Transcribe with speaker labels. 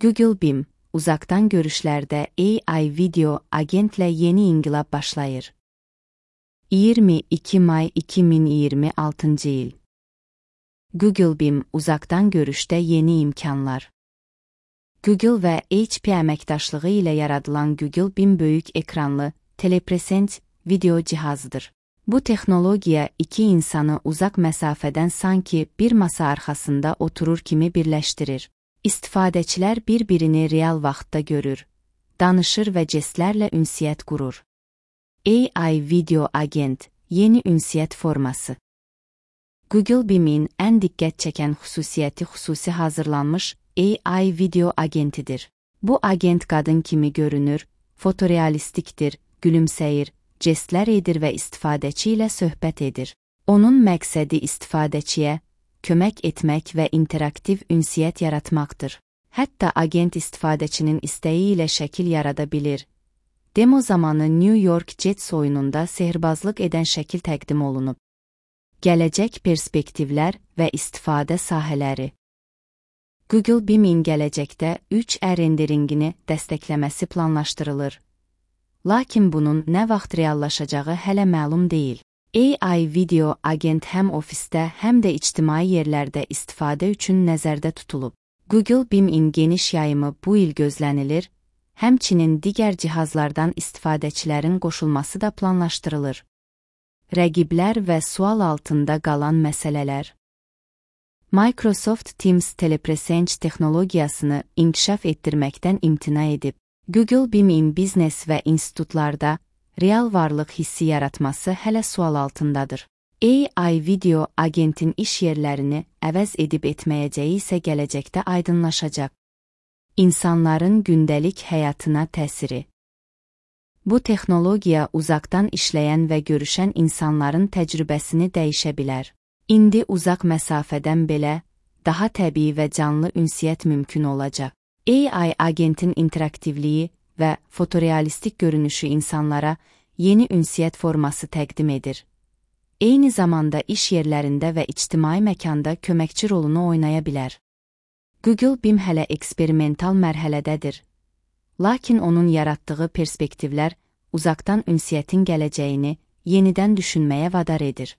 Speaker 1: Google Bim, uzaktan görüşlərdə AI video agentlə yeni inqilab başlayır. 22 may 2026 il. Google Bim, uzaktan görüşdə yeni imkanlar. Google və HP əməkdaşlığı ilə yaradılan Google Bim böyük ekranlı, telepresent video cihazıdır. Bu texnologiya iki insanı uzaq məsafədən sanki bir masa arxasında oturur kimi birləşdirir. İstifadəçilər bir-birini real vaxtda görür, danışır və jestlərlə ünsiyyət qurur. AI video agent, yeni ünsiyyət forması. Google Bim'in ən diqqət çəkən xüsusiyyəti xüsusi hazırlanmış AI video agentidir. Bu agent qadın kimi görünür, fotorealistikdir, gülümsəyir, jestlər edir və istifadəçi ilə söhbət edir. Onun məqsədi istifadəçiyə kömək etmək və interaktiv ünsiyyət yaratmaqdır. Hətta agent istifadəçinin istəyi ilə şəkil yarada bilir. Demo zamanı New York Jets oyununda sehirbazlıq edən şəkil təqdim olunub. Gələcək perspektivlər və istifadə sahələri. Google Bim'in gələcəkdə 3D renderingini dəstəkləməsi planlaşdırılır. Lakin bunun nə vaxt reallaşacağı hələ məlum deyil. AI video agent həm ofisdə, həm də ictimai yerlərdə istifadə üçün nəzərdə tutulub. Google Bim'in geniş yayımı bu il gözlənilir, həmçinin digər cihazlardan istifadəçilərin qoşulması da planlaşdırılır. Rəqiblər və sual altında qalan məsələlər. Microsoft Teams telepresence texnologiyasını inkişaf etdirməkdən imtina edib. Google Bim'in biznes və institutlarda real varlıq hissi yaratması hələ sual altındadır. AI video agentin iş yerlərini əvəz edib etməyəcəyi isə gələcəkdə aydınlaşacaq. İnsanların gündəlik həyatına təsiri. Bu texnologiya uzaqdan işləyən və görüşən insanların təcrübəsini dəyişə bilər. İndi uzaq məsafədən belə, daha təbii və canlı ünsiyyət mümkün olacaq. AI agentin interaktivliyi və fotorealistik görünüşü insanlara yeni ünsiyyət forması təqdim edir. Eyni zamanda iş yerlərində və ictimai məkanda köməkçi rolunu oynaya bilər. Google Bim hələ eksperimental mərhələdədir. Lakin onun yaratdığı perspektivlər uzaqdan ünsiyyətin gələcəyini yenidən düşünməyə vadar edir.